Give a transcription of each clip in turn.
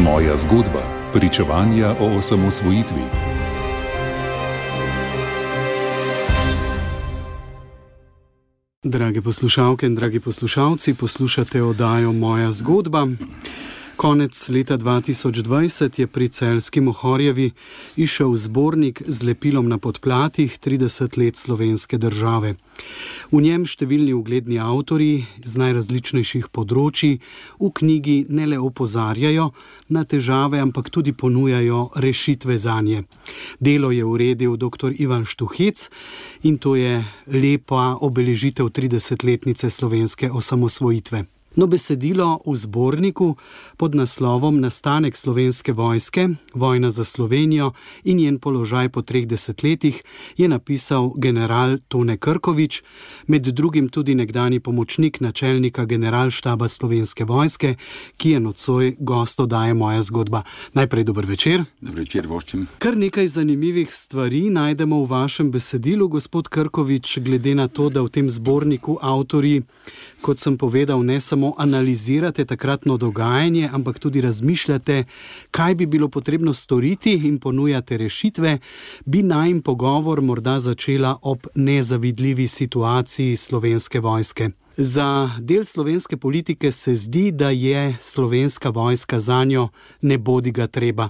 Moja zgodba. Pričevanja o osamosvojitvi. Drage poslušalke in dragi poslušalci, poslušate oddajo Moja zgodba. Konec leta 2020 je pri celjski Mohorjevi izšel zbornik z lepilom na podplatih 30 let slovenske države. V njem številni ugledni avtorji z najrazličnejših področij v knjigi ne le opozarjajo na težave, ampak tudi ponujajo rešitve zanje. Delo je uredil dr. Ivan Štuhec in to je lepa obeležitev 30-letnice slovenske osamosvojitve. No, besedilo v zborniku pod naslovom Nastanek slovenske vojske, vojna za Slovenijo in njen položaj po 3 desetletjih je napisal general Tone Krkovič, med drugim tudi nekdanji pomočnik načelnika generalštaba slovenske vojske, ki je nocoj gost oddaje Moja zgodba. Najprej dober večer. Dober večer, voščim. Kar nekaj zanimivih stvari najdemo v vašem besedilu, gospod Krkovič, glede na to, da v tem zborniku avtorji, kot sem povedal, ne samo analizirate takratno dogajanje, ampak tudi razmišljate, kaj bi bilo potrebno storiti in ponujate rešitve, bi najin pogovor morda začela ob nezavidljivi situaciji slovenske vojske. Za del slovenske politike se zdi, da je slovenska vojska zanjo nebodiga treba.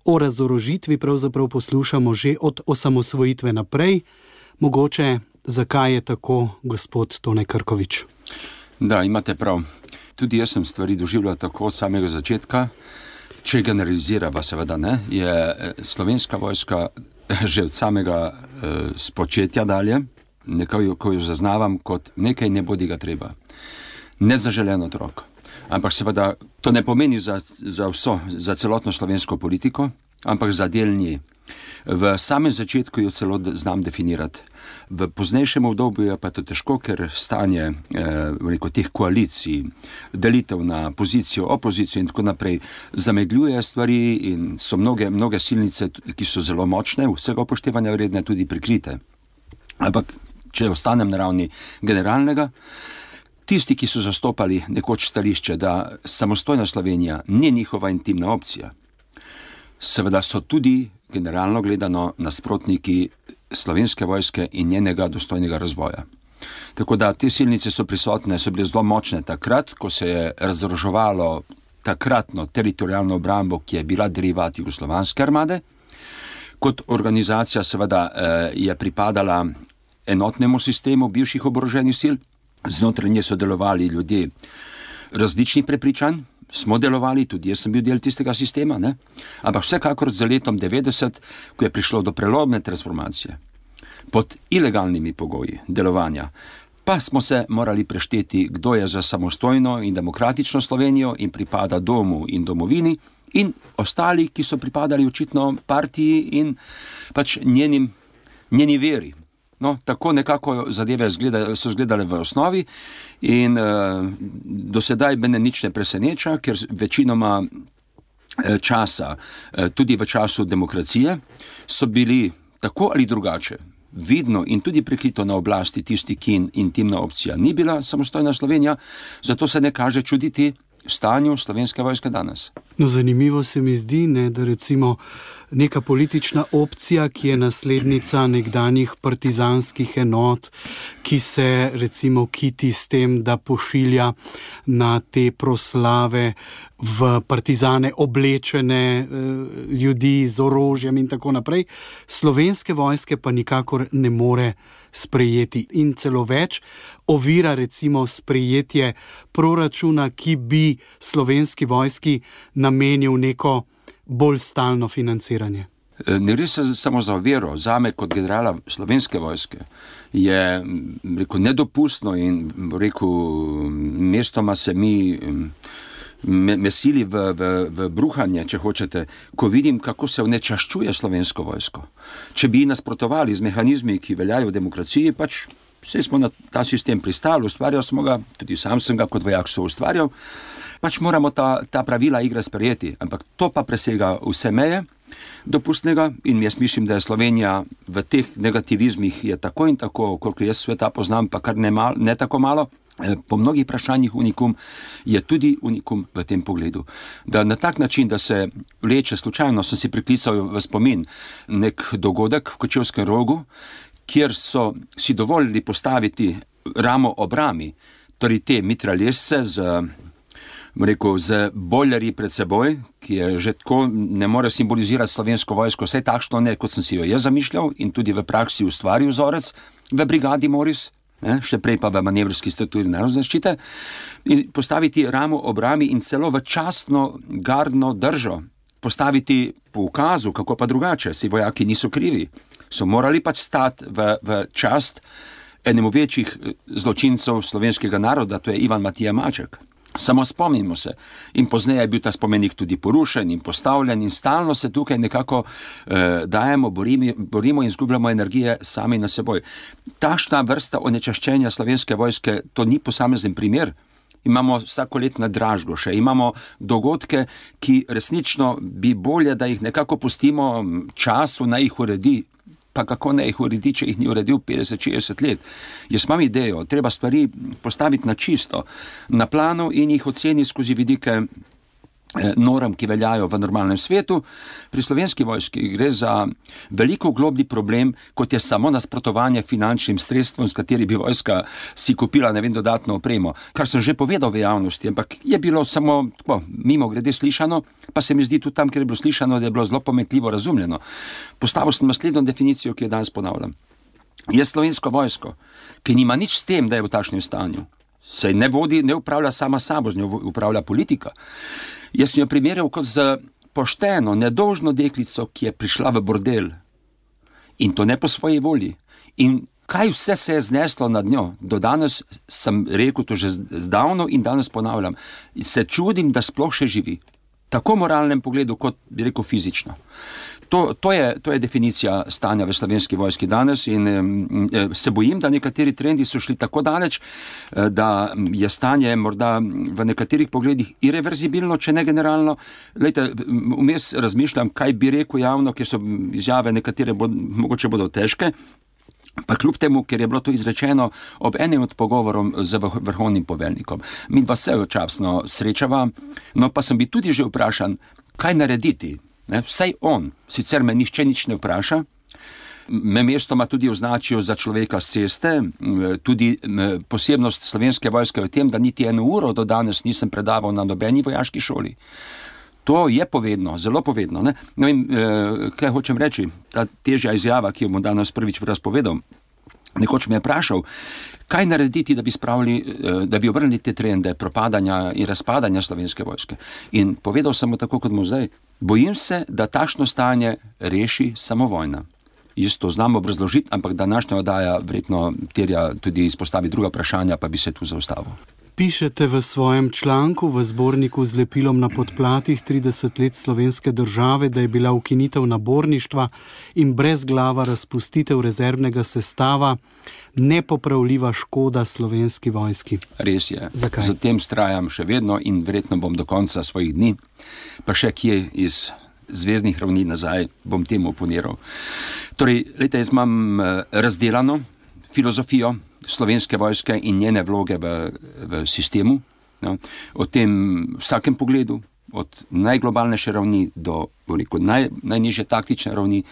O razorožitvi pravzaprav poslušamo že od osamosvojitve naprej. Mogoče, zakaj je tako, gospod Tone Krkovič? Da, imate prav. Tudi jaz sem stvari doživljal tako od samega začetka. Če generalizirava, seveda ne, je slovenska vojska že od samega spočetja dalje, nekako jo zaznavam kot nekaj nebodiga treba. Nezaželen otrok. Ampak seveda to ne pomeni za celotno slovensko politiko, ampak za del nje. V samem začetku jo celo znam definirati. V poznejšem obdobju je pa to težko, ker stanje teh koalicij, delitev na pozicijo, opozicijo in tako naprej zamegljuje stvari in so mnoge silnice, ki so zelo močne, vsega upoštevanja vredne, tudi prikrite. Ampak, če ostanem na ravni generalnega, tisti, ki so zastopali nekoč stališče, da samostojna Slovenija ni njihova intimna opcija, seveda so tudi generalno gledano nasprotniki slovenske vojske in njenega dostojnega razvoja. Tako da te silnice so prisotne, so bile zelo močne takrat, ko se je razoroževalo takratno teritorialno obrambo, ki je bila derivat jugoslovanske armade. Kot organizacija seveda je pripadala enotnemu sistemu bivših oboroženih sil, znotraj nje so delovali ljudje različnih prepričanj, smo delovali, tudi jaz sem bil del tistega sistema, ne? Ampak vsekakor z letom 90, ko je prišlo do prelomne transformacije, pod ilegalnimi pogoji delovanja, pa smo se morali prešteti, kdo je za samostojno in demokratično Slovenijo in pripada domu in domovini, in ostali, ki so pripadali očitno partiji in pač njeni veri. No, tako nekako zadeve so izgledale v osnovi in do sedaj mene nič ne preseneča, ker večinoma časa, tudi v času demokracije, so bili tako ali drugače vidno in tudi prikrito na oblasti tisti, ki intimna opcija ni bila samostojna Slovenija, zato se ne kaže čuditi stanju slovenske vojske danes. No, zanimivo se mi zdi, da recimo neka politična opcija, ki je naslednica nekdanjih partizanskih enot, ki se recimo kiti s tem, da pošilja na te proslave v partizane oblečene ljudi z orožjem in tako naprej, slovenske vojske pa nikakor ne more sprejeti in celo več ovira recimo sprejetje proračuna, ki bi slovenski vojski namenil neko bolj stalno financiranje. Ne gre se samo za oviro. Zame kot generala slovenske vojske je nedopustno in mestoma se me sili v bruhanje, če hočete, ko vidim, kako se onečaščuje slovensko vojsko. Če bi nasprotovali z mehanizmi, ki veljajo v demokraciji, pač vse smo na ta sistem pristali, ustvarjal smo ga, tudi sam sem ga kot vojak so ustvarjal, pač moramo ta pravila igre sprejeti, ampak to pa presega vse meje dopustnega in jaz mislim, da je Slovenija v teh negativizmih je tako in tako, koliko jaz sveta poznam, pa kar ne tako malo, po mnogih vprašanjih unikum, je tudi unikum v tem pogledu. Da na tak način, da se vleče slučajno, sem si priklical v spomin nek dogodek v Kočevskem Rogu, kjer so si dovolili postaviti ramo ob rami, torej te mitraljezce z bojlerji pred seboj, ki je že tako, ne more simbolizirati slovensko vojsko, vse takšno ne, kot sem si jo jaz zamišljal in tudi v praksi ustvaril vzorec v brigadi Moris, še prej pa v manevrski strukturi narodne zaščite, in postaviti ramo ob rami in celo v častno gardno držo, postaviti po ukazu, kako pa drugače, si vojaki niso krivi, so morali pač stati v čast enemu večjih zločincev slovenskega naroda, to je Ivan Matija Maček. Samo spomnimo se. In pozneje je bil ta spomenik tudi porušen in postavljen in stalno se tukaj nekako dajemo, borimo in izgubljamo energije sami na seboj. Takšna vrsta onečaščenja slovenske vojske, to ni posamezen primer. Imamo vsakoletne dražgoše, imamo dogodke, ki resnično bi bolje, da jih nekako pustimo času, naj jih uredi. Pa kako ne jih uredi, če jih ni uredil 50-60 let. Jaz imam idejo, treba stvari postaviti na čisto, na planu in jih oceniti skozi vidike norm, ki veljajo v normalnem svetu. Pri slovenski vojski gre za veliko globlji problem, kot je samo nasprotovanje finančnim sredstvom, s kateri bi vojska si kupila, dodatno opremo. Kar sem že povedal v javnosti, ampak je bilo samo mimo grede slišano, pa se mi zdi tudi tam, kjer je bilo slišano, da je bilo zelo pometljivo razumljeno. Postavil sem naslednjo definicijo, ki jo danes ponavljam. Je slovensko vojsko, ki nima nič s tem, da je v takšnem stanju. Se ne vodi, ne upravlja sama sabo, z njo upravlja politika. Jaz sem jo primerjal kot z pošteno, nedolžno deklico, ki je prišla v bordel. In to ne po svoji volji. In kaj vse se je zneslo nad njo? Do danes sem rekel to že zdavno in danes ponavljam. Se čudim, da sploh še živi. Tako v moralnem pogledu, kot bi rekel fizično. To je definicija stanja v slovenski vojski danes in se bojim, da nekateri trendi so šli tako daleč, da je stanje morda v nekaterih pogledih irreverzibilno, če ne generalno. Glejte, vmes razmišljam, kaj bi rekel javno, ker so izjave nekatere mogoče bodo težke, pa kljub temu, ker je bilo to izrečeno ob enem od pogovorom z vrhovnim poveljnikom. Mi dva se včasno srečava, no pa sem bi tudi že vprašan, kaj narediti. Vsaj on, sicer me nihče nič ne vpraša, me mestoma tudi označijo za človeka s ceste, tudi posebnost slovenske vojske v tem, da niti 1 uro do danes nisem predaval na nobeni vojaški šoli. To je povedno, zelo povedno. Ne? No in kaj hočem reči, ta težja izjava, ki jo bom danes prvič razpovedal, nekoč me je vprašal, kaj narediti, da bi obrnili te trende propadanja in razpadanja slovenske vojske. In povedal sem mu tako, kot mu zdaj, bojim se, da takšno stanje reši samo vojna. Jaz to znam obrazložiti, ampak današnja oddaja verjetno terja tudi izpostavi druga vprašanja, pa bi se tu zaustavil. Pišete v svojem članku v zborniku z lepilom na podplatih 30 let slovenske države, da je bila ukinitev naborništva in brezglava razpustitev rezervnega sestava nepopravljiva škoda slovenski vojski. Res je. Zakaj? Zatem vztrajam še vedno in verjetno bom do konca svojih dni, pa še kje iz zvezdnih ravni nazaj bom temu oponiral. Torej, jaz imam razdelano filozofijo slovenske vojske in njene vloge v sistemu. No, o tem vsakem pogledu, od najglobalnejše ravni do najnižje taktične ravni.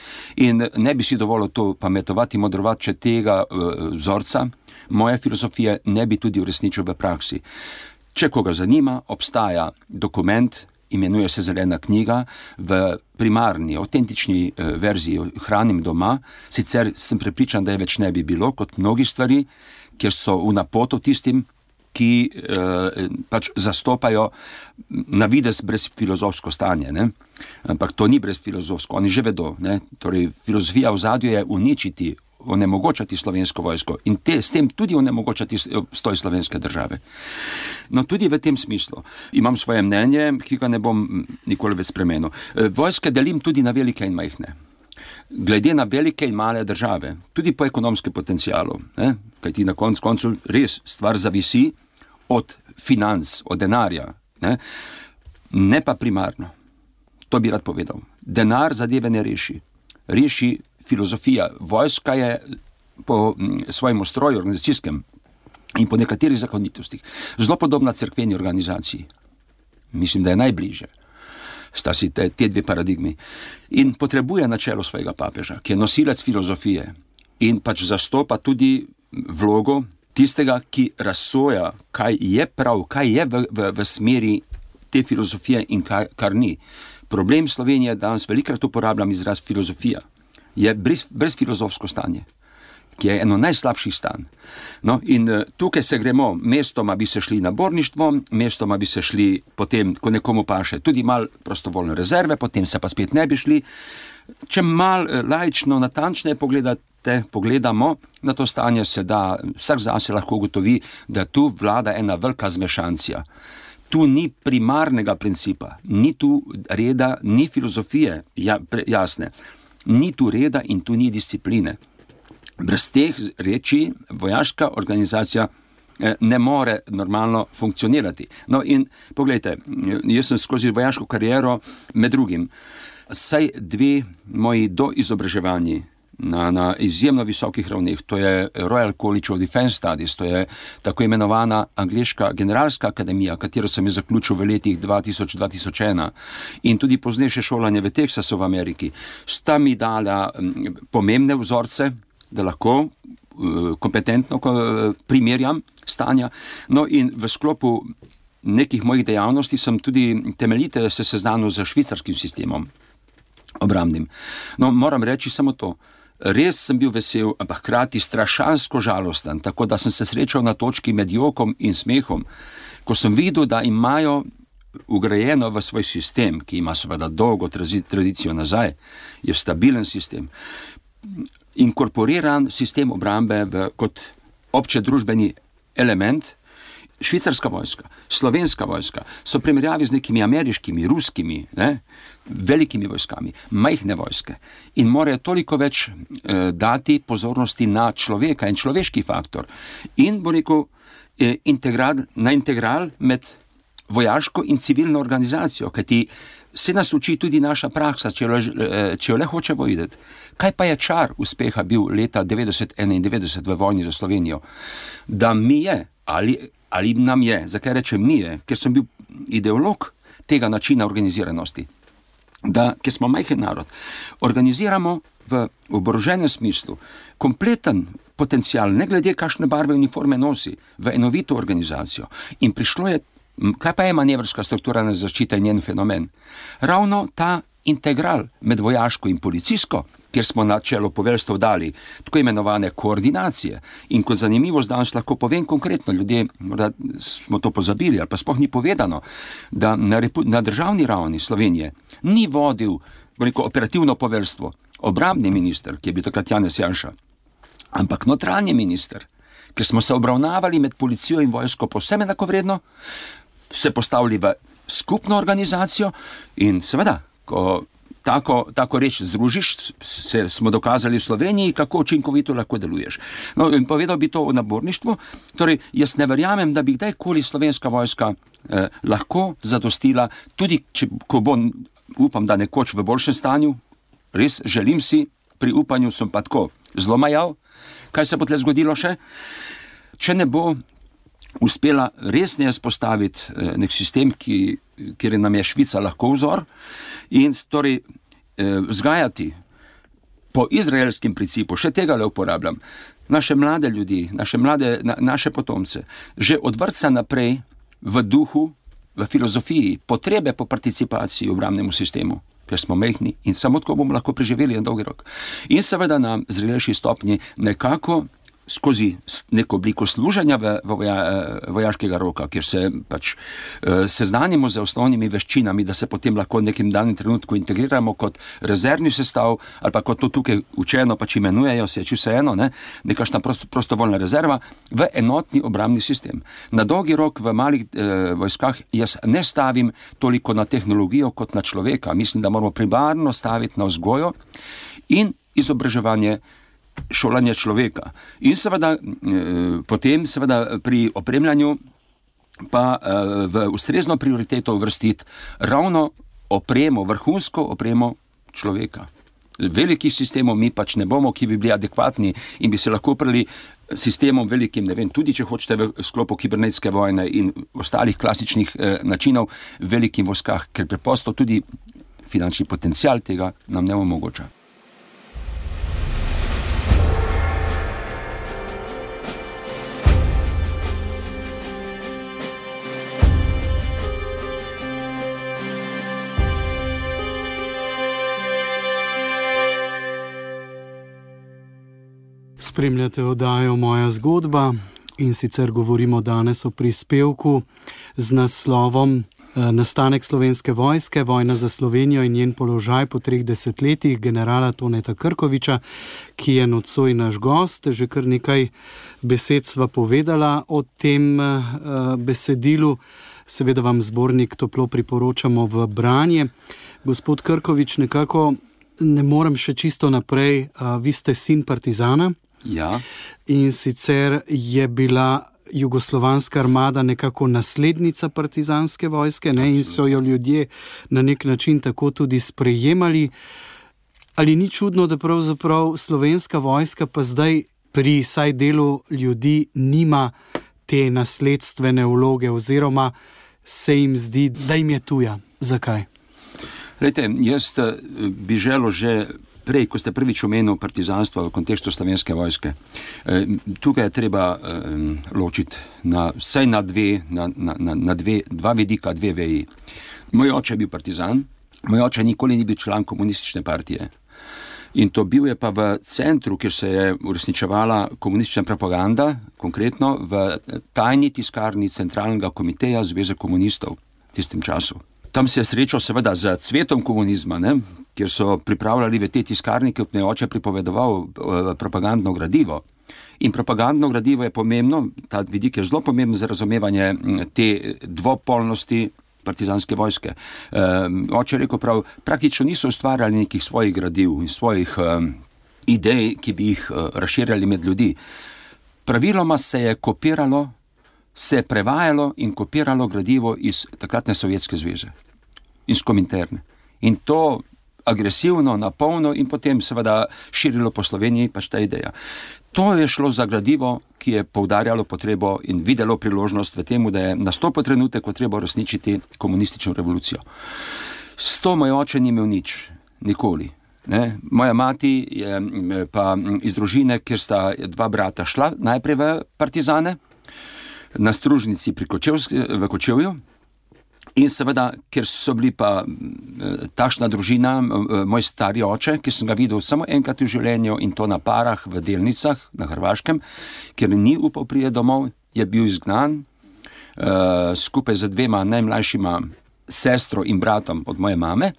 In ne bi si dovolil to pametovati, modrovati, če tega vzorca moje filozofije ne bi tudi uresničil v praksi. Če koga zanima, obstaja dokument, imenuje se Zelena knjiga, v primarni, avtentični verziji hranim doma, sicer sem prepričan, da je več ne bi bilo, kot mnogi stvari, kjer so v napoto tistim, ki pač zastopajo na videz brezfilozofsko stanje. Ne? Ampak to ni brezfilozofsko, oni že vedo. Ne? Torej, filozofija v zadju je uničiti, onemogočati slovensko vojsko in s tem tudi onemogočati stoj slovenske države. No, tudi v tem smislu imam svoje mnenje, ki ga ne bom nikoli več spremenil. Vojske delim tudi na velike in majhne. Glede na velike in male države, tudi po ekonomskem potencialu, kajti na koncu res stvar zavisi od financ, od denarja, ne pa primarno. To bi rad povedal. Denar zadeve ne reši. Reši filozofija. Vojska je po svojem ustroju organizacijskem in po nekaterih zakonitostih. Zelo podobna cerkveni organizaciji. Mislim, da je najbliže. Sta si te dve paradigmi. In potrebuje na čelu svojega papeža, ki je nosilec filozofije in pač zastopa tudi vlogo tistega, ki razsoja, kaj je prav, kaj je v smeri te filozofije in kar ni. Problem Slovenije, danes velikrat uporabljam izraz filozofija, je brezfilozofsko stanje, ki je eno najslabših stanj. No, in tukaj se gremo, mestoma bi se šli na borništvo, mestoma bi se šli potem, ko nekomu paše, tudi mal prostovoljne rezerve, potem se pa spet ne bi šli. Če mal laično, natančneje pogledamo na to stanje, se da, vsak zase lahko ugotovi, da tu vlada ena velika zmešancija. Tu ni primarnega principa, ni tu reda, ni filozofije, jasne, ni tu reda in tu ni discipline. Brez teh reči vojaška organizacija ne more normalno funkcionirati. No in pogledajte, jaz sem skozi vojaško kariero med drugim, saj 2 moji doizobraževanji na izjemno visokih ravneh, to je Royal College of Defense Studies, to je tako imenovana angleška generalska akademija, katero sem je zaključil v letih 2000-2001 in tudi poznejše šolanje v Teksasu v Ameriki, sta mi dala pomembne vzorce, da lahko kompetentno primerjam stanja. No in v sklopu nekih mojih dejavnosti sem tudi temeljite se seznanil z švicarskim sistemom obrambnim. No, moram reči samo to. Res sem bil vesel, ampak hkrati strašansko žalosten, tako da sem se srečal na točki med jokom in smehom, ko sem videl, da imajo ugrajeno v svoj sistem, ki ima seveda dolgo tradicijo nazaj, je stabilen sistem, inkorporiran sistem obrambe kot obče družbeni element. Švicarska vojska, slovenska vojska so primerjavi z nekimi ameriškimi, ruskimi, velikimi vojskami, majhne vojske in morajo toliko več dati pozornosti na človeka in človeški faktor in bo rekel integral med vojaško in civilno organizacijo, kajti se nas uči tudi naša praksa, če jo le hočemo videti. Kaj pa je čar uspeha bil leta 1991 v vojni za Slovenijo? Da mi je, ali nam je, zakaj rečem mi je, ker sem bil ideolog tega načina organiziranosti, da, ker smo majhen narod, organiziramo v oboroženem smislu kompleten potencial, ne glede kakšne barve uniforme nosi, v enovito organizacijo. In prišlo je, kaj pa je manevrska strukturalna zaščita in njen fenomen? Ravno ta integral med vojaško in policijsko, kjer smo na čelo poveljstev dali tako imenovane koordinacije. In kot zanimivost danes lahko povem konkretno, ljudje, morda smo to pozabili, ali pa sploh ni povedano, da na državni ravni Slovenije ni vodil operativno poveljstvo obrambni minister, ki je bil takrat Janez Janša, ampak notranji minister, ker smo se obravnavali med policijo in vojsko povsem enakovredno, se postavili v skupno organizacijo in seveda, ko tako reč združiš, smo dokazali v Sloveniji, kako učinkovito lahko deluješ. No, in povedal bi to o naborništvu. Torej, jaz ne verjamem, da bi kdajkoli slovenska vojska lahko zadostila, tudi ko bo, upam, da nekoč v boljšem stanju, res želim si, pri upanju sem pa tako zelo majav, kaj se bo tle zgodilo še, če ne bo uspela resneje spostaviti nek sistem, kjer nam je Švica lahko vzor, in torej vzgajati po izraelskem principu, še tega le uporabljam, naše mlade ljudi, naše potomce, že od vrtca naprej v duhu, v filozofiji, potrebe po participaciji v obrambnemu sistemu, ker smo majhni in samo tako bomo lahko preživeli na dolgi rok. In seveda na zrelejši stopnji nekako skozi neko obliko služenja vojaškega roka, kjer se pač seznanimo z osnovnimi veščinami, da se potem lahko v nekem danem trenutku integriramo kot rezervni sestav, ali pa kot to tukaj učeno pač imenujejo, se je vseeno, nekašna prostovoljna rezerva, v enotni obrambni sistem. Na dolgi rok v malih vojskah jaz ne stavim toliko na tehnologijo kot na človeka. Mislim, da moramo primarno staviti na vzgojo in izobraževanje, šolanje človeka. In seveda potem seveda pri opremljanju pa v ustrezno prioriteto uvrstiti ravno opremo, vrhunsko opremo človeka. Velikih sistemov mi pač ne bomo, ki bi bili adekvatni in bi se lahko oprli sistemom velikim, ne vem, tudi če hočete v sklopu kibernetske vojne in ostalih klasičnih načinov velikim vojskah, ker preprosto tudi finančni potencial tega nam ne omogoča. Spremljate oddajo Moja zgodba in sicer govorimo danes o prispevku z naslovom Nastanek Slovenske vojske, vojna za Slovenijo in njen položaj po 3 desetletjih generala Toneta Krkoviča, ki je nocoj naš gost. Že kar nekaj besed sva povedala o tem besedilu. Seveda vam zbornik toplo priporočamo v branje. Gospod Krkovič, nekako ne morem še čisto naprej. Vi ste sin partizana. Ja. In sicer je bila jugoslovanska armada nekako naslednica partizanske vojske, ne? In so jo ljudje na nek način tako tudi sprejemali. Ali ni čudno, da pravzaprav slovenska vojska pa zdaj pri saj delu ljudi nima te nasledstvene vloge oziroma se jim zdi, da jim je tuja? Zakaj? Glejte, jaz bi želel že prej, ko ste prvič omenil partizanstvo v kontekstu slovenske vojske. Tukaj je treba ločiti vsaj na dva vidika, dve veji. Moj oče je bil partizan, moj oče nikoli ni bil član komunistične partije. In to bil je pa v centru, kjer se je uresničevala komunistična propaganda, konkretno v tajni tiskarni Centralnega komiteja Zveze komunistov v tistem času. Tam se je srečal seveda z cvetom komunizma, ne, kjer so pripravljali v te tiskarni, ki je oče pripovedoval propagandno gradivo. In propagandno gradivo je pomembno, ta vidik je zelo pomemben za razumevanje te dvopolnosti partizanske vojske. Oče je rekel prav, praktično niso ustvarjali nekih svojih gradiv in svojih idej, ki bi jih razširjali med ljudi. Praviloma se je kopiralo, se je prevajalo in kopiralo gradivo iz takratne Sovjetske zveze, iz Kominterne. In to agresivno, napolno in potem seveda širilo po Sloveniji pač ta ideja. To je šlo za gradivo, ki je poudarjalo potrebo in videlo priložnost v temu, da je nastopil trenutek, ko treba uresničiti komunistično revolucijo. S to moj oče ni imel nič, nikoli. Ne? Moja mati je pa iz družine, kjer sta dva brata šla najprej v partizane, na Stružnici v Kočevju, in seveda, ker so bili pa takšna družina, moj stari oče, ki sem ga videl samo enkrat v življenju in to na parah v Delnicah na Hrvaškem, ker ni upal priti domov, je bil izgnan skupaj z dvema najmlajšima sestro in bratom od moje mame,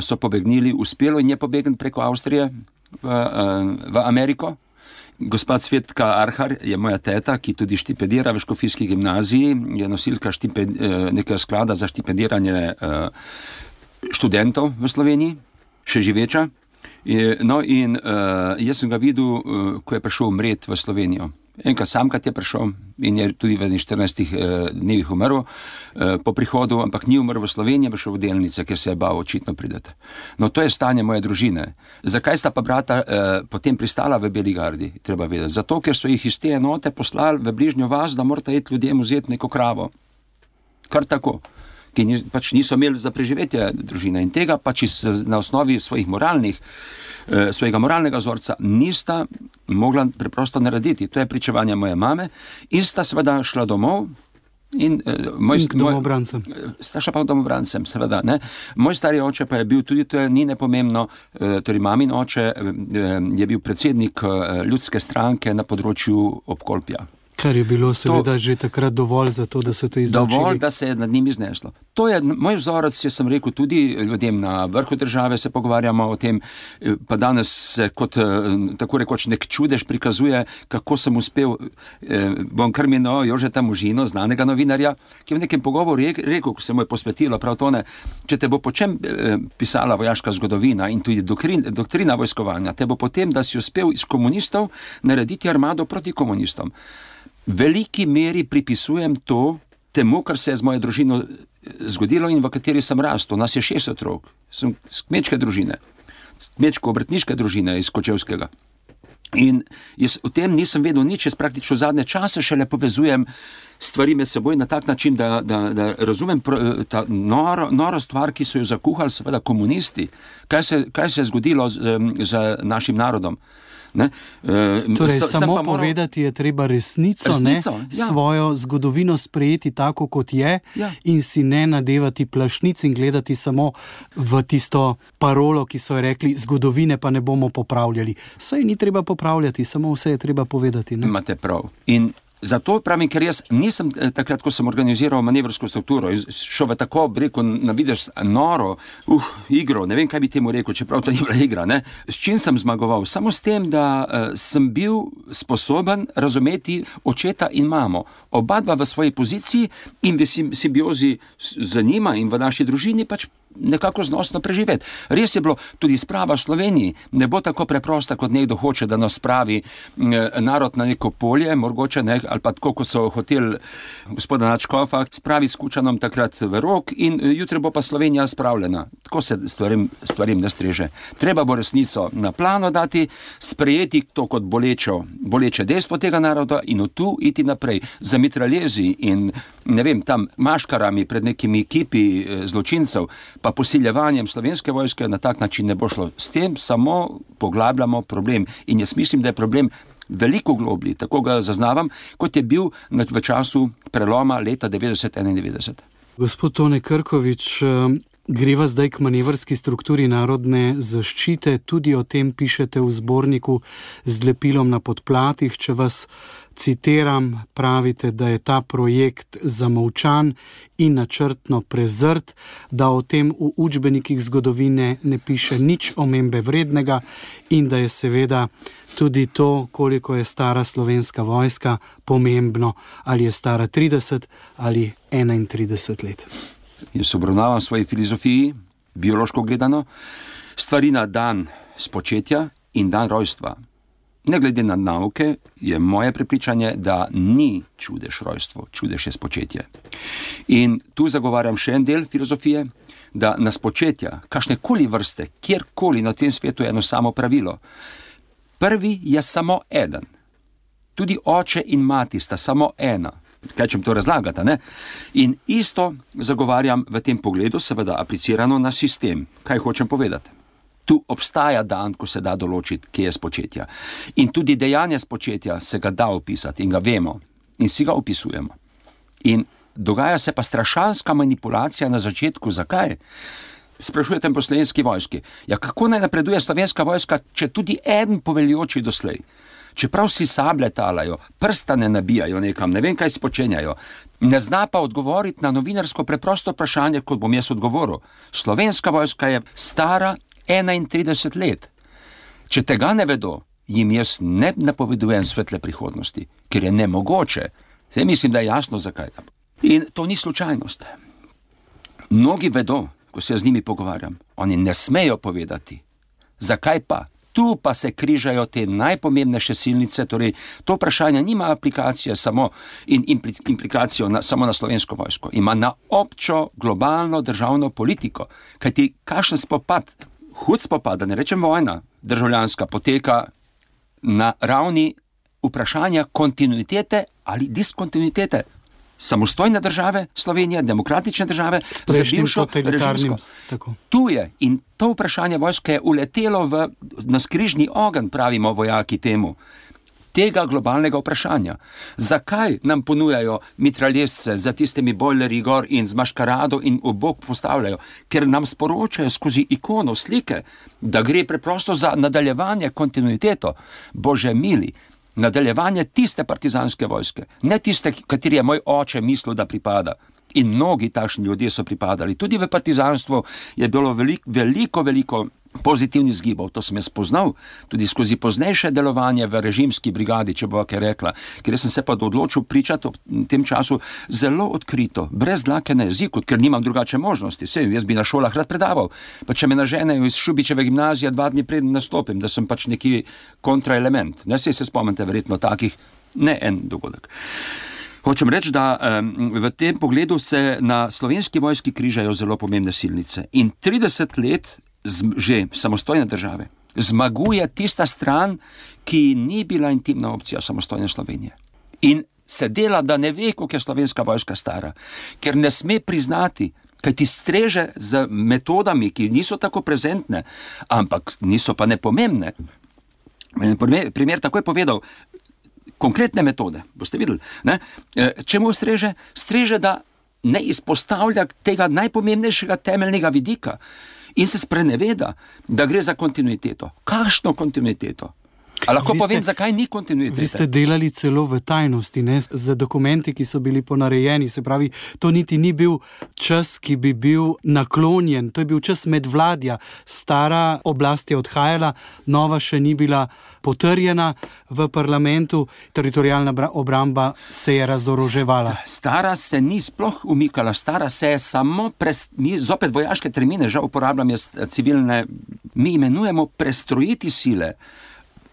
so pobegnili, uspelo in je pobegn preko Avstrije v Ameriko. Gospa Cvetka Arhar je moja teta, ki tudi štipendira v Škofijski gimnaziji, je nosilka nekega sklada za štipendiranje študentov v Sloveniji, še živeča. No in jaz sem ga videl, ko je prišel umret v Slovenijo. Enkrat samkrat je prišel in je tudi v 14 dnevih umrl po prihodu, ampak ni umrl v Sloveniji, je šel v Delnice, ker se je bal očitno priti. No, to je stanje moje družine. Zakaj sta pa brata potem pristala v Beli gardi, treba vedeti? Zato, ker so jih iz te enote poslali v bližnjo vas, da morate iti ljudem vzeti neko kravo. Kar tako. Ki pač niso imeli za preživetje družine in tega pač na osnovi svojega moralnega vzorca nista mogla preprosto narediti. To je pričevanje moje mame in sta seveda šla domov in domobrancem. Sta šla pa domobrancem, seveda, ne. Moj stari oče pa je bil tudi, to je ni nepomembno, torej mamin oče je bil predsednik ljudske stranke na področju Obkolpja. Kar je bilo seveda že takrat dovolj za to, da so to izločili. Dovolj, da se je nad njim izneslo. To je moj vzorec, jaz sem rekel tudi ljudem na vrhu države, se pogovarjamo o tem, pa danes se kot tako rekoč nek čudež prikazuje, kako sem uspel, bom kar imenoval Jožeta Možino, znanega novinarja, ki je v nekem pogovoru rekel, ko se mu je posvetilo prav to, ne, če te bo po čem pisala vojaška zgodovina in tudi doktrina vojskovanja, te bo potem, da si uspel iz komunistov narediti armado proti komunistom. Veliki meri pripisujem to temu, kar se je z mojo družino zgodilo in v kateri sem rastel. Nas je 6 otrok. Sem z kmečke družine, kmečko-obrtniške družine iz Kočevskega. In jaz o tem nisem vedel nič, jaz praktično zadnje čase šele povezujem stvari med seboj na tak način, da razumem ta noro stvar, ki so jo zakuhali seveda komunisti. Kaj se je zgodilo z našim narodom? Ne? Torej, samo povedati je treba resnico, ne? Svojo zgodovino sprejeti tako, kot je, in si ne nadevati plašnic in gledati samo v tisto parolo, ki so rekli, zgodovine pa ne bomo popravljali. Saj ni treba popravljati, samo vse je treba povedati. Ne? Imate prav. In zato pravim, ker jaz nisem takrat, ko sem organiziral manevrsko strukturo, šel v tako, na vidiš, noro igro, ne vem, kaj bi temu rekel, čeprav to ni bila igra, ne? S čim sem zmagoval? Samo s tem, da sem bil sposoben razumeti očeta in mamo. Oba dva v svoji poziciji in v simbiozi z njima in v naši družini pač nekako znosno preživeti. Res je bilo, tudi sprava v Sloveniji ne bo tako preprosta, kot nekdo hoče, da nas spravi narod na neko polje, mogoče ne, ali pa tako, kot so hoteli gospoda Načkofa, spravi s Kučanom takrat v rok in jutri bo pa Slovenija spravljena. Tako se stvarim ne streže. Treba bo resnico na plano dati, sprejeti to kot boleče dejstvo tega naroda in od tu iti naprej. Za mitraljezi in, ne vem, tam maškarami pred nekimi ekipi zločincev, pa posiljevanjem Slovenske vojske na tak način ne bo šlo. S tem samo poglabljamo problem. In jaz mislim, da je problem veliko globlji, tako ga zaznavam, kot je bil v času preloma leta 90-91. Gospod Tone Krkovič, greva zdaj k manevrski strukturi narodne zaščite. Tudi o tem pišete v zborniku Z lepilom na podplatih. Če vas citiram, pravite, da je ta projekt zamolčan in načrtno prezrt, da o tem v učbenikih zgodovine ne piše nič omembe vrednega in da je seveda tudi to, koliko je stara Slovenska vojska, pomembno, ali je stara 30 ali 31 let. Jaz obravnavam v svoji filozofiji, biološko gledano, stvari na dan spočetja in dan rojstva. Ne glede na nauke, je moje prepričanje, da ni čudež rojstvo, čudež je spočetje. In tu zagovarjam še en del filozofije, da na spočetja, kakšnekoli vrste, kjerkoli na tem svetu je eno samo pravilo. Prvi je samo eden. Tudi oče in mati sta samo ena. Kaj čem to razlagati, ne? In isto zagovarjam v tem pogledu, seveda aplicirano na sistem. Kaj hočem povedati? Tu obstaja dan, ko se da določiti, kje je spočetja. In tudi dejanje spočetja se ga da opisati in ga vemo in si ga opisujemo. In dogaja se pa strašanska manipulacija na začetku. Zakaj? Sprašujete po Slovenski vojski. Ja, kako naj napreduje Slovenska vojska, če tudi eden poveljoči doslej? Čeprav si sablje talajo, prstane nabijajo nekam, ne vem, kaj si počenjajo, ne zna pa odgovoriti na novinarsko preprosto vprašanje, kot bom jaz odgovoril. Slovenska vojska je stara 31 let. Če tega ne vedo, jim jaz ne napovedujem svetle prihodnosti, ker je nemogoče. Zdaj mislim, da je jasno, zakaj. In to ni slučajnost. Mnogi vedo, ko se z njimi pogovarjam, oni ne smejo povedati. Zakaj pa? Tu pa se križajo te najpomembnejše silnice, torej to vprašanje nima aplikacije samo in implikacijo samo na Slovensko vojsko, ima na občo globalno državno politiko, kajti kakšen spopad, hud spopad, da ne rečem vojna, državljanska poteka na ravni vprašanja kontinuitete ali diskontinuitete samostojne države, Slovenije, demokratične države, s prejšnjim totalitarnim. Tu je in to vprašanje vojske je uletelo na skrižni ogenj, pravimo vojaki temu, tega globalnega vprašanja. Zakaj nam ponujajo mitraljezce za tistimi bojlerji gor in z maškarado in v bok postavljajo? Ker nam sporočajo skozi ikono, slike, da gre preprosto za nadaljevanje, kontinuiteto. Bože mili, nadaljevanje tiste partizanske vojske, ne tiste, kateri je moj oče mislil, da pripada. In mnogi takšni ljudje so pripadali. Tudi v partizanstvu je bilo veliko pozitivnih zgibov. To sem jaz spoznal tudi skozi poznejše delovanje v režimski brigadi, če bo kaj rekla. Ker sem se pa odločil pričati v tem času zelo odkrito, brez dlake na jeziku, ker nimam drugače možnosti. Sej, jaz bi na šolah rad predaval. Pa če me naženejo iz Šubičeve gimnazije 2 dni preden nastopim, da sem pač neki kontraelement. Ne se spomnite verjetno takih, ne en dogodek. Hočem reči, da v tem pogledu se na Slovenski vojski križajo zelo pomembne silnice. In 30 let že samostojne države, zmaguje tista stran, ki ni bila intimna opcija samostojne Slovenije. In se dela, da ne ve, koliko je slovenska vojska stara, ker ne sme priznati, kaj ti streže z metodami, ki niso tako prezentne, ampak niso pa nepomembne. Primer takoj povedal, konkretne metode, boste videli, ne? Čemu streže? Streže, da ne izpostavlja tega najpomembnejšega temeljnega vidika in se spreneveda, da gre za kontinuiteto. Kakšno kontinuiteto? A lahko povem, zakaj ni kontinuitete? Vi ste delali celo v tajnosti, ne? Z dokumenti, ki so bili ponarejeni, se pravi, to niti ni bil čas, ki bi bil naklonjen, to je bil čas medvladja. Stara oblast je odhajala, nova še ni bila potrjena v parlamentu, teritorialna obramba se je razoroževala. Stara se ni sploh umikala, stara se je samo, mi zopet vojaške termine, žal uporabljam jaz civilne, mi imenujemo prestrojiti sile,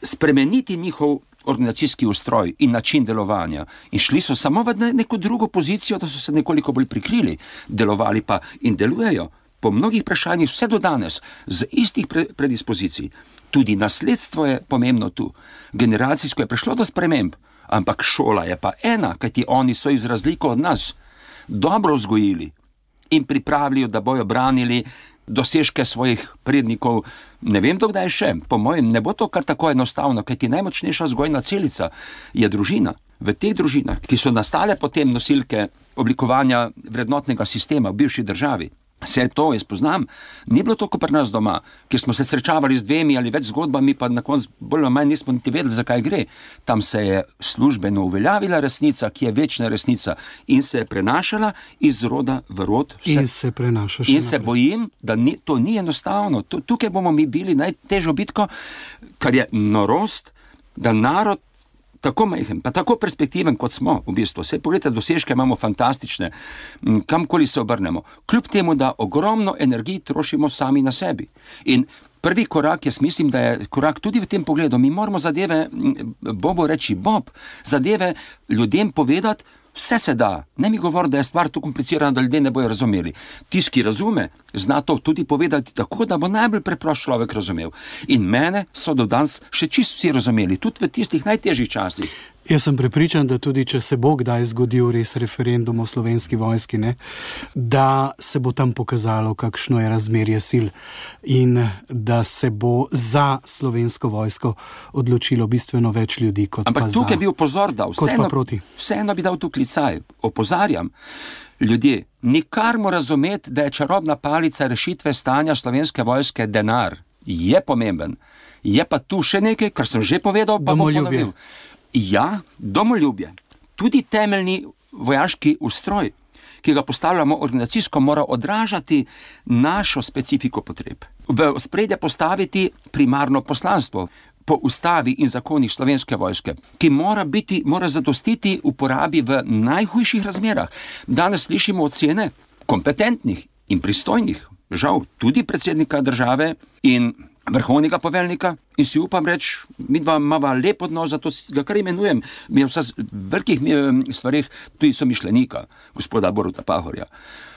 spremeniti njihov organizacijski ustroj in način delovanja. In šli so samo v neko drugo pozicijo, da so se nekoliko bolj prikrili, delovali pa in delujejo po mnogih vprašanjih vse do danes, z istih predispozicij. Tudi nasledstvo je pomembno tu. Generacijsko je prišlo do sprememb, ampak šola je pa ena, kajti oni so iz razliko od nas dobro vzgojili in pripravili, da bojo branili dosežke svojih prednikov, ne vem dokdaj še, po mojem ne bo to kar tako enostavno, kajti najmočnejša vzgojna celica je družina. V teh družinah, ki so nastale potem nosilke oblikovanja vrednotnega sistema v bivši državi, vse to, jaz poznam, ni bilo to kot pri nas doma, kjer smo se srečavali z 2 ali več zgodbami, pa na koncu bolj ali manj nismo niti vedeli, zakaj gre. Tam se je službeno uveljavila resnica, ki je večna resnica in se je prenašala iz roda v rod. In se prenaša še in se bojim, da to ni enostavno. Tukaj bomo mi bili najtežjo bitko, kar je norost, da narod tako majhen, pa tako perspektiven, kot smo v bistvu. Saj pogledajte, dosežke imamo fantastične, kamkoli se obrnemo. Kljub temu, da ogromno energij trošimo sami na sebi. In prvi korak, jaz mislim, da je korak tudi v tem pogledu. Mi moramo zadeve, Bobo reči Bob, zadeve ljudem povedati, vse se da. Ne mi govori, da je stvar tu komplicirana, da ljudje ne bojo razumeli. Tisti, ki razume, zna to tudi povedati tako, da bo najbolj preprost človek razumel. In mene so do danes še čisto vsi razumeli, tudi v tistih najtežjih časih. Jaz sem prepričan, da tudi če se bo kdaj zgodil res referendum o Slovenski vojski, ne, da se bo tam pokazalo, kakšno je razmerje sil in da se bo za Slovensko vojsko odločilo bistveno več ljudi kot ampak pa za. Ampak tukaj bi opozor dal, vseeno bi dal tu klicaj, opozarjam. Ljudje, nikar mu razumeti, da je čarobna palica rešitve stanja Slovenske vojske denar. Je pomemben. Je pa tu še nekaj, kar sem že povedal, pa bom ponovil. Ja, domoljubje, tudi temeljni vojaški ustroj, ki ga postavljamo organizacijsko, mora odražati našo specifiko potreb. V ospredje postaviti primarno poslanstvo po ustavi in zakonih Slovenske vojske, ki mora zadostiti uporabi v najhujših razmerah. Danes slišimo ocene kompetentnih in pristojnih, žal tudi predsednika države in vrhovnega poveljnika, in si upam reči, midva imava lep odnos, zato ga kar imenujem, mi je vsa velikih stvarih tudi somišljenika, gospoda Boruta Pahorja.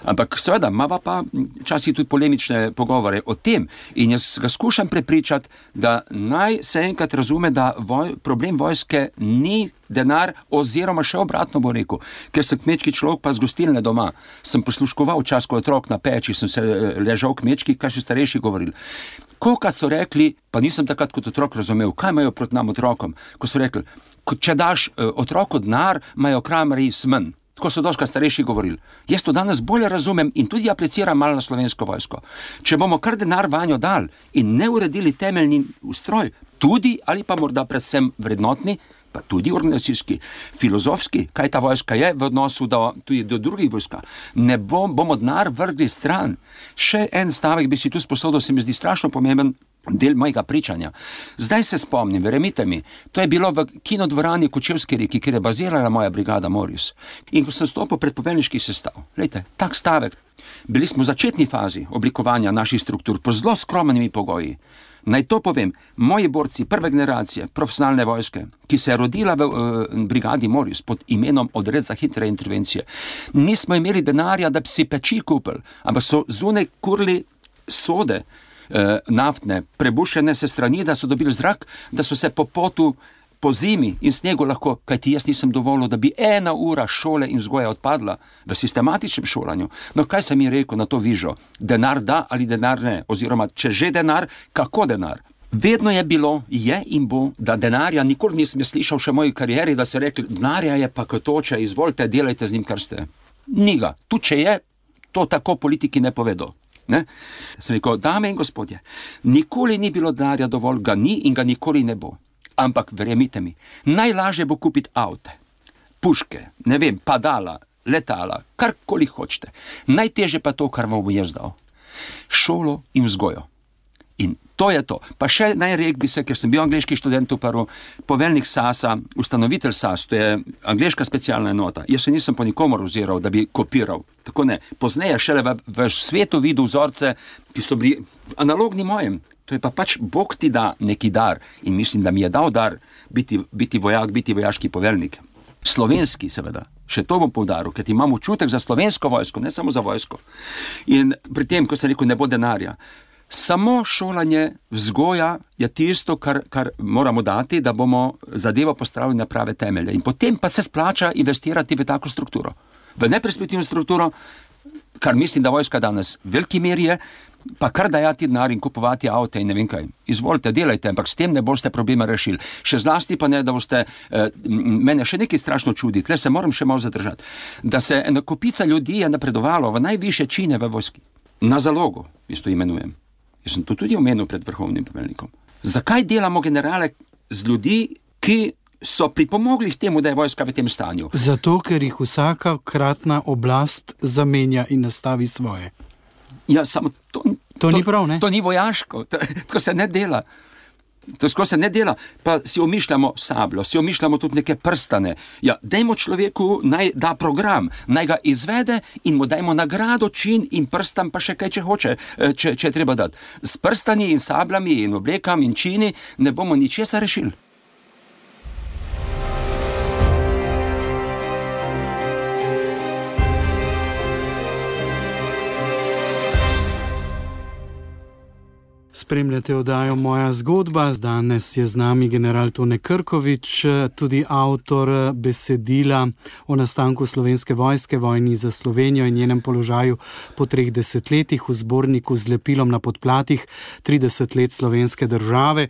Ampak seveda, imava pa včasih tudi polemične pogovore o tem in jaz ga skušam prepričati, da naj se enkrat razume, da problem vojske ni denar, oziroma še obratno bo rekel, ker sem kmečki človek pa z gostilne doma. Sem posluškoval čas, ko otrok na peči, sem se ležal kmečki, kaj še starejši govorili. Kolikrat so rekli, pa nisem takrat kot otrok razumel, kaj imajo proti nam otrokom, ko so rekli, če daš otroku denar, imajo kramarji smen. Tako so doskrat starejši govorili. Jaz to danes bolje razumem in tudi apliciram malo na Slovensko vojsko. Če bomo kar denar vanjo dali in ne uredili temeljni ustroj, tudi ali pa morda predvsem vrednotni, pa tudi organizacijski, filozofski, kaj ta vojska je v odnosu tudi do drugih vojska, ne bomo denar vrgli stran. Še en stavek bi si tu sposodil, se mi zdi strašno pomemben del mojega pričanja. Zdaj se spomnim, verjemite mi, to je bilo v kinodvorani Kočevski reki, kjer je bazirala moja brigada Moris. In ko sem stopil pred poveljniški sestav, glejte, tak stavek, bili smo v začetni fazi oblikovanja naših struktur po zelo skromnimi pogoji. Naj to povem, moji borci prve generacije profesionalne vojske, ki se je rodila v brigadi Moris pod imenom Odred za hitre intervencije, nismo imeli denarja, da bi si peči kupili, ampak so zunaj kurili sode, naftne, prebušene se strani, da so dobili zrak, da so se po potu, po zimi in snegu lahko, kajti jaz nisem dovolil, da bi 1 ura šole in vzgoja odpadla v sistematičnem šolanju. No, kaj sem jim rekel na to vižo? Denar da ali denar ne? Oziroma, če že denar, kako denar? Vedno je bilo, je in bo, da denarja nikoli nisem slišal še v moji karieri, da se rekli, denarja je pa kotoče, izvolite, delajte z njim, kar ste. Ni ga. Tu, če je, to tako politiki ne povedo. Ne? Sem rekel, dame in gospodje, nikoli ni bilo denarja dovolj, ga ni in ga nikoli ne bo. Ampak verjemite mi, najlažje bo kupiti avte, puške, ne vem, padala, letala, karkoli hočete. Najtežje pa to, kar vam bo jaz dal. Šolo in vzgojo. In to je to. Pa še najrek bi se, ker sem bil angleški študent v Peru, poveljnik SAS-a, ustanovitelj SAS, to je angleška specialna enota. Jaz se nisem po nikomor oziral, da bi kopiral. Tako ne. Pozneje šele v svetu videl vzorce, ki so bili analogni mojem. To je pa pač Bog ti da neki dar in mislim, da mi je dal dar biti vojak, biti vojaški poveljnik. Slovenski seveda. Še to bom poudaril, ker imam občutek za slovensko vojsko, ne samo za vojsko. In pri tem, ko sem rekel, ne bo denarja, samo šolanje, vzgoja je tisto, kar moramo dati, da bomo zadevo postavili na prave temelje. In potem pa se splača investirati v tako strukturo. V neperspektivno strukturo, kar mislim, da vojska danes v veliki meri je, pa kar dajati denar in kupovati avte in ne vem kaj. Izvolite, delajte, ampak s tem ne boste problema rešili. Še zlasti pa ne, da boste, mene še nekaj strašno čudi, tle se moram še malo zadržati, da se ena kopica ljudi je napredovalo v najvišje čine v vojski. Na zalogo, jaz to imenujem. Jaz sem to tudi omenil pred vrhovnim poveljnikom. Zakaj delamo generale z ljudi, ki so pripomogli k temu, da je vojska v tem stanju? Zato, ker jih vsaka kratna oblast zamenja in nastavi svoje. Ja, samo to ni prav, ne? To ni vojaško, tako se ne dela. To se ne dela, pa si omišljamo sabljo, si omišljamo tudi neke prstane. Ja, dajmo človeku naj da program, naj ga izvede in mu dajmo nagrado, čin in prstam pa še kaj, če hoče, če je treba dati. S prstani in sabljami in oblekam in čini ne bomo ničesar rešili. Spremljate oddajo Moja zgodba. Danes je z nami general Tone Krkovič, tudi avtor besedila o nastanku Slovenske vojske, vojni za Slovenijo in njenem položaju po 3 desetletjih v zborniku z lepilom na podplatih 30 let slovenske države.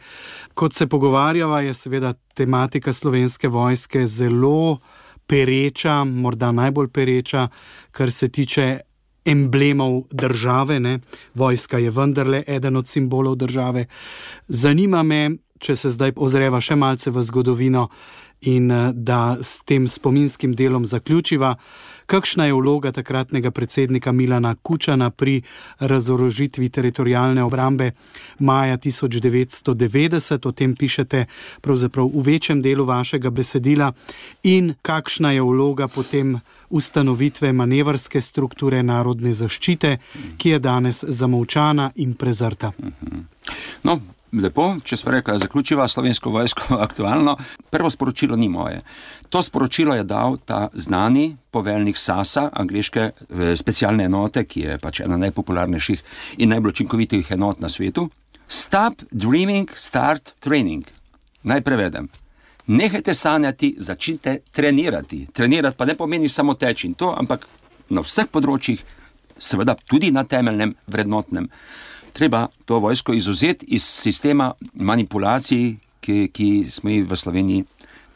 Kot se pogovarjava, je seveda tematika Slovenske vojske zelo pereča, morda najbolj pereča, kar se tiče emblemov države, ne? Vojska je vendarle eden od simbolov države. Zanima me, če se zdaj ozreva še malce v zgodovino in da s tem spominskim delom zaključiva, kakšna je vloga takratnega predsednika Milana Kučana pri razorožitvi teritorialne obrambe maja 1990, o tem pišete pravzaprav v večjem delu vašega besedila, in kakšna je vloga potem ustanovitve manevrske strukture narodne zaščite, ki je danes zamolčana in prezrta. No, lepo, če smo rekli, zaključiva Slovensko vojsko aktualno. Prvo sporočilo ni moje. To sporočilo je dal ta znani poveljnik SAS-a, angleške specialne enote, ki je pač ena najpopularnejših in najbolj učinkovitih enot na svetu. Stop dreaming, start training. Naj prevedem. Nehajte sanjati, začnite trenirati. Trenirati pa ne pomeni samo teči in to, ampak na vseh področjih, seveda tudi na temeljnem vrednotnem. Treba to vojsko izuzeti iz sistema manipulacij, ki smo jih v Sloveniji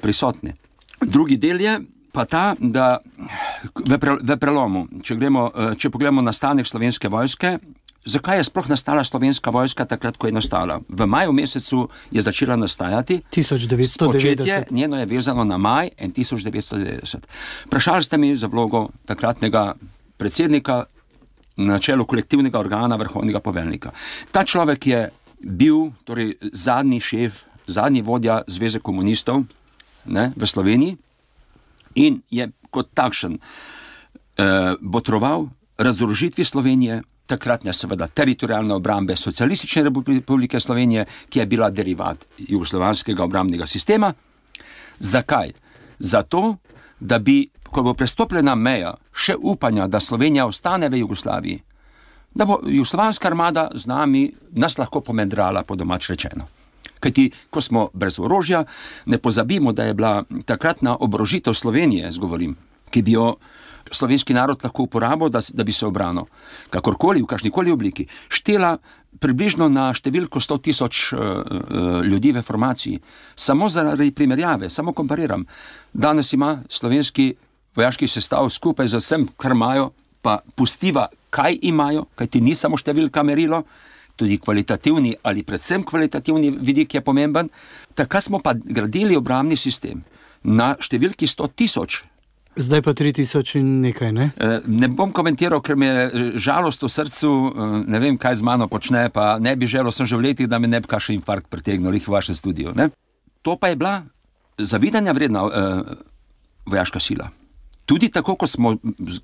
prisotni. Drugi del je pa ta, da v prelomu, če pogledamo nastanek Slovenske vojske, zakaj je sploh nastala Slovenska vojska takrat, ko je nastala? V maju mesecu je začela nastajati. 1990. Početje njeno je vezano na maj 1990. Vprašali ste mi za vlogo takratnega predsednika na čelu kolektivnega organa vrhovnega poveljnika. Ta človek je bil torej zadnji šef, zadnji vodja Zveze komunistov, ne, v Sloveniji in je kot takšen botroval razorožitvi Slovenije, takratne seveda teritorialne obrambe Socialistične republike Slovenije, ki je bila derivat jugoslovanskega obrambnega sistema. Zakaj? Zato, da bi, ko bo prestopljena meja, še upanja, da Slovenija ostane v Jugoslaviji, da bo jugoslovanska armada z nami nas lahko pomedrala, po domač rečeno. Kajti, ko smo brez orožja, ne pozabimo, da je bila takratna oborožitev Slovenije, zgovorim, ki bi jo slovenski narod lahko uporabil, da bi se obranil, kakorkoli, v kakšnikoli obliki, štela približno na številko 100,000 ljudi v formaciji. Samo zaradi primerjave, samo kompariram. Danes ima slovenski vojaški sestav skupaj z vsem, kar imajo, pa pustiva, kaj imajo, kajti ni samo številka merilo, tudi kvalitativni ali predvsem kvalitativni vidik je pomemben. Takrat smo pa gradili obrambni sistem na številki 100,000. Zdaj pa 3,000 in nekaj, ne? Ne bom komentiral, ker mi je žalost v srcu, ne vem, kaj z mano počne, pa ne bi želel, sem že v letih, da me ne bi kakšen infarkt pretegnil v vašem studiu. Ne? To pa je bila zavidanja vredna vojaška sila. Tudi tako, ko smo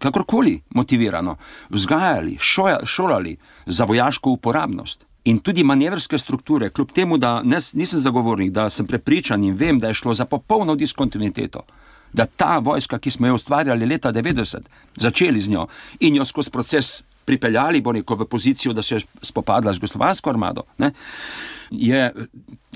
kakorkoli motivirano vzgajali, šolali za vojaško uporabnost in tudi manevrske strukture, kljub temu, da nisem zagovornik, da sem prepričan in vem, da je šlo za popolno diskontinuiteto, da ta vojska, ki smo jo ustvarjali leta 90, začeli z njo in jo skozi proces pripeljali, bo neko v pozicijo, da se je spopadla z jugoslovansko armado, ne, je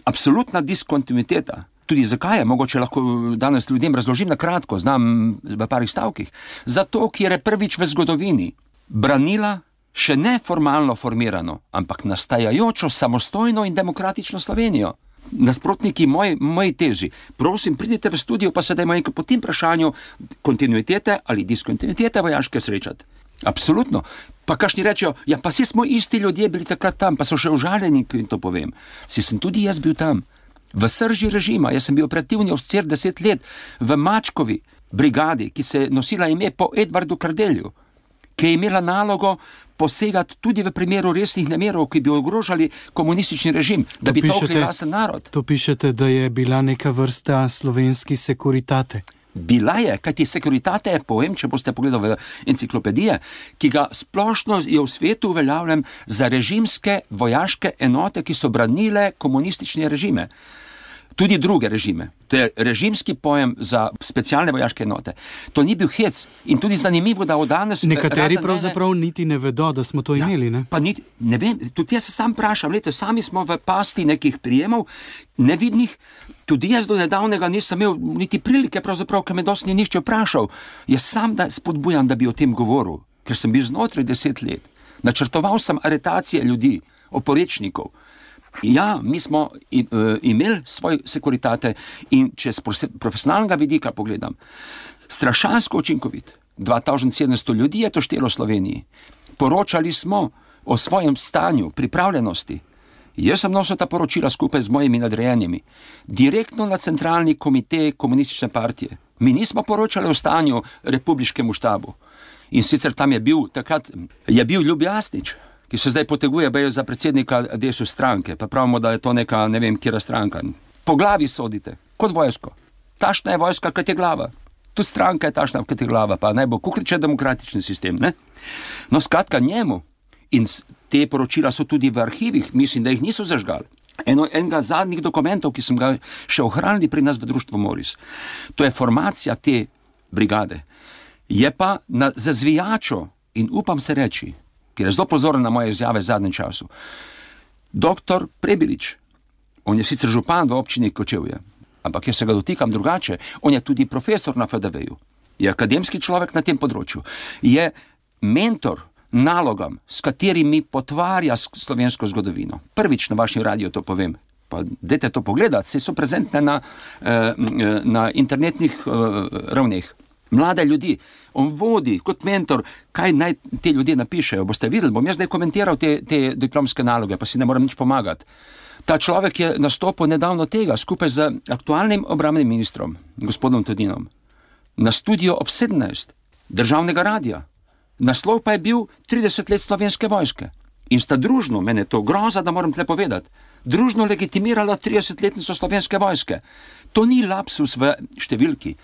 absolutna diskontinuiteta. Tudi zakaj je, mogoče lahko danes ljudem razložim na kratko, znam v parih stavkih. Zato, ker je prvič v zgodovini branila še ne formalno formirano, ampak nastajajočo samostojno in demokratično Slovenijo. Nasprotniki moji teži, prosim, pridite v studio, pa se dajmo enkrat po tem vprašanju kontinuitete ali diskontinuitete vojaške srečati. Absolutno. Pa kakšni rečejo, ja, pa si smo isti ljudje bili takrat tam, pa so še užaljeni, in to povem. Si sem tudi jaz bil tam. V srži režima, jaz sem bil operativni oficir 10 let v Mačkovi brigadi, ki se je nosila ime po Edvardu Kardelju, ki je imela nalogo posegati tudi v primeru resnih nemerov, ki bi ogrožali komunistični režim, da bi tolkli lasten narod. To pišete, da je bila neka vrsta slovenski sekuritate. Bila je, kajti sekuritate je pojem, če boste pogledali v enciklopedije, ki ga splošno je v svetu uveljavljen za režimske vojaške enote, ki so branile komunistične režime. Tudi druge režime. To je režimski pojem za specialne vojaške enote. To ni bil hec in tudi zanimivo, da od danes... Nekateri pravzaprav niti ne vedo, da smo to imeli, ne? Pa ne vem, tudi jaz se sam vprašam, sami smo v pasti nekih prijemov nevidnih, tudi jaz do nedavnega nisem imel niti prilike, pravzaprav, ker me dosti ni nišče vprašal. Jaz sam spodbujam, da bi o tem govoril, ker sem bil znotraj 10 let. Načrtoval sem aretacije ljudi, oporečnikov. Ja, mi smo imeli svoj sekuritate in če z profesionalnega vidika pogledam, strašansko učinkovit. 2700 ljudi je to štelo v Sloveniji. Poročali smo o svojem stanju, pripravljenosti. Jaz sem nosil ta poročila skupaj z mojimi nadrejenimi. Direktno na centralni komite komunistične partije. Mi nismo poročali o stanju republiškemu štabu. In sicer tam je bil Ljub Jasnič, ki se zdaj poteguje za predsednika DSU stranke, pa pravimo, da je to neka, ne vem, kjera stranka. Po glavi sodite, kot vojsko. Tašna je vojska, kot je glava. Tu stranka je tašna, kot je glava, pa naj bo Kuhrič demokratični sistem, ne? No, skratka njemu. In te poročila so tudi v arhivih, mislim, da jih niso zažgali. Enega zadnjih dokumentov, ki sem ga še ohranili pri nas v društvu Moris, to je formacija te brigade. Je pa za zvijačo, in upam se reči, ker je zelo pozoren na moje izjave v zadnjem času. Doktor Prebilič, on je sicer župan v občini Kočevje, ampak jaz se ga dotikam drugače, on je tudi profesor na FDV-ju, je akademski človek na tem področju, je mentor nalogam, s katerimi potvarja slovensko zgodovino. Prvič na vašem radiju to povem, pa dajte to pogledati, se so prezentne na internetnih ravneh. Mlade ljudi, on vodi kot mentor, kaj naj te ljudje napišejo. Boste videli, bom jaz zdaj komentiral te diplomske naloge, pa si ne morem nič pomagati. Ta človek je nastopil nedavno tega, skupaj z aktualnim obrambnim ministrom, gospodom Todinom, na studio ob 17 državnega radija. Naslov pa je bil 30 let slovenske vojske. In sta družno, mene to groza, da moram tle povedati, družno legitimirala 30-letnico slovenske vojske. To ni lapsus v številki.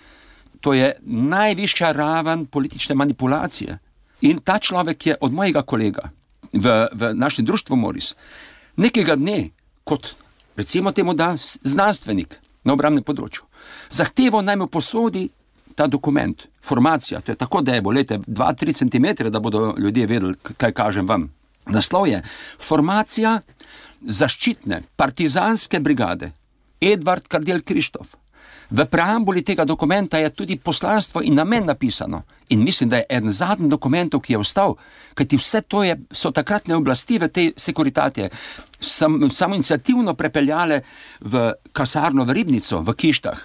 To je najvišja raven politične manipulacije. In ta človek je od mojega kolega v našem društvu Moris nekega dne, kot recimo temu da znanstvenik na obrambnem področju, zahteval naj mu posodi ta dokument, formacija, to je tako debo, 2-3 centimetre, da bodo ljudje vedeli, kaj kažem vam, Naslov je Formacija zaščitne partizanske brigade Edvard Kardelj Krištof. V preambuli tega dokumenta je tudi poslanstvo in namen napisano. In mislim, da je eden zadnjih dokumentov, ki je ostal, kajti vse to so takratne oblasti v tej sekuritatije samoiniciativno prepeljale v kasarno v Ribnico, v Kištah.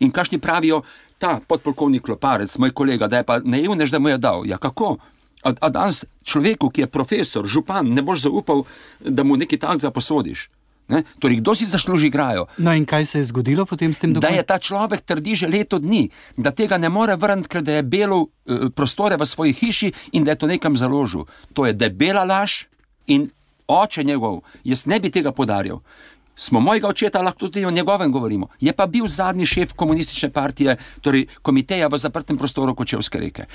In kakšni pravijo, ta podpolkovnik Loparec, moj kolega, da je pa naivnež, da mu je dal. Ja, kako? A danes človeku, ki je profesor, župan, ne boš zaupal, da mu nekaj takega posodiš. Ne? Torej, kdo si zasluži grajo? No in kaj se je zgodilo potem s tem dokumentom? Da je ta človek trdi že leto dni, da tega ne more vrniti, ker da je belil prostore v svoji hiši in da je to nekam založil. To je debela laž in oče njegov, jaz ne bi tega podarjal. Smo mojega očeta, lahko tudi o njegovem govorimo. Je pa bil zadnji šef komunistične partije, torej komiteja v zaprtem prostoru Kočevske reke.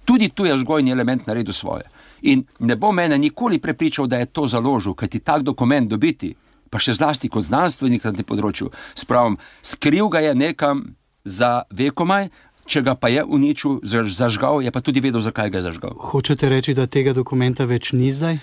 Tudi tu je vzgojni element naredil svoje. In ne bo mene nikoli prepričal, da je to založil, kajti tak dokument dobiti, pa še zlasti kot znanstvenik na tem področju, spravim, skril ga je nekam za vekomaj, če ga pa je uničil, zažgal, je pa tudi vedel, zakaj ga je zažgal. Hočete reči, da tega dokumenta več ni zdaj?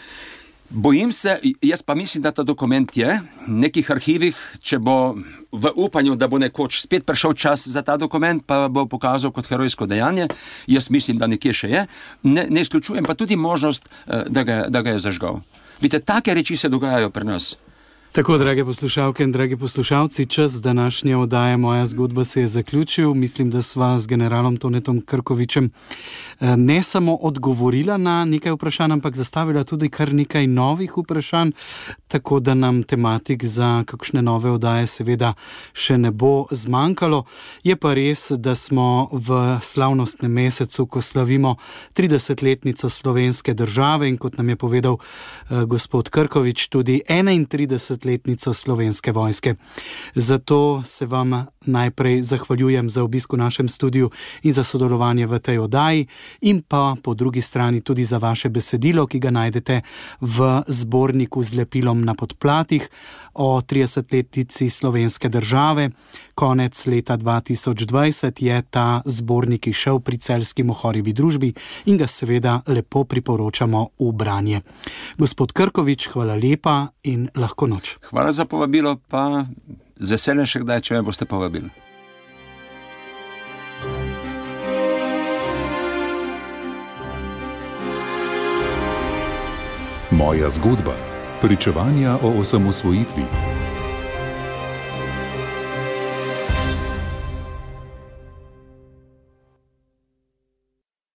Bojim se, jaz pa mislim, da ta dokument je v nekih arhivih, če bo v upanju, da bo nekoč spet prišel čas za ta dokument, pa bo pokazal kot herojsko dejanje, jaz mislim, da nekje še je, ne izključujem pa tudi možnost, da ga je zažgal. Vidite, take reči se dogajajo pri nas. Tako, drage poslušalke in dragi poslušalci, čas današnje oddaje Moja zgodba se je zaključil. Mislim, da sva z generalom Tonetom Krkovičem ne samo odgovorila na nekaj vprašanj, ampak zastavila tudi kar nekaj novih vprašanj, tako da nam tematik za kakšne nove oddaje seveda še ne bo zmanjkalo. Je pa res, da smo v slavnostnem mesecu, ko slavimo 30-letnico slovenske države in kot nam je povedal gospod Krkovič, tudi 31-letnico Slovenske vojske. Zato se vam najprej zahvaljujem za obisk v našem studiu in za sodelovanje v tej oddaji in pa po drugi strani tudi za vaše besedilo, ki ga najdete v zborniku z lepilom na podplatih o 30-letnici Slovenske države. Konec leta 2020 je ta zbornik izšel pri Celjski Mohorjevi družbi in ga seveda lepo priporočamo v branje. Gospod Krkovič, hvala lepa in lahko noč. Hvala za povabilo, pa z veseljem še kdaj, če me boste povabili. Moja zgodba. Pričevanja o osamosvojitvi.